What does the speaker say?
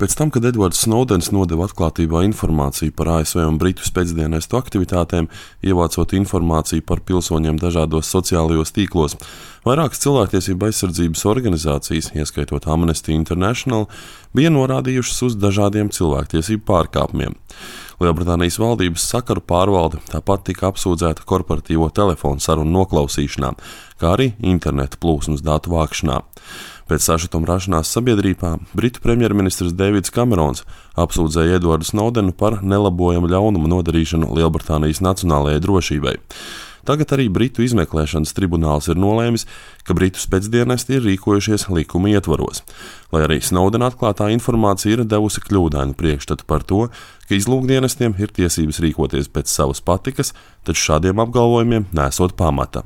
Pēc tam, kad Edvards Snowdens nodeva atklātībā informāciju par ASV un Britu spēcdienestu aktivitātēm, ievācot informāciju par pilsoņiem dažādos sociālajos tīklos, vairākas cilvēktiesību aizsardzības organizācijas, ieskaitot Amnesty International, bija norādījušas uz dažādiem cilvēktiesību pārkāpumiem. Lielbritānijas valdības sakaru pārvalde tāpat tika apsūdzēta korporatīvo telefonu sarunu noklausīšanā, kā arī interneta plūsmas datu vākšanā. Pēc sašutuma rašanās sabiedrībā Britu premjerministrs Deivids Kamerons apsūdzēja Edvardu Snowdenu par nelabojamu ļaunumu nodarīšanu Lielbritānijas nacionālajai drošībai. Tagad arī Britu izmeklēšanas tribunāls ir nolēmis, ka Britu spēcdienesti ir rīkojušies likuma ietvaros, lai arī Snowdena atklātā informācija ir devusi kļūdainu priekšstatu par to, ka izlūkdienestiem ir tiesības rīkoties pēc savas patikas, taču šādiem apgalvojumiem nesot pamata.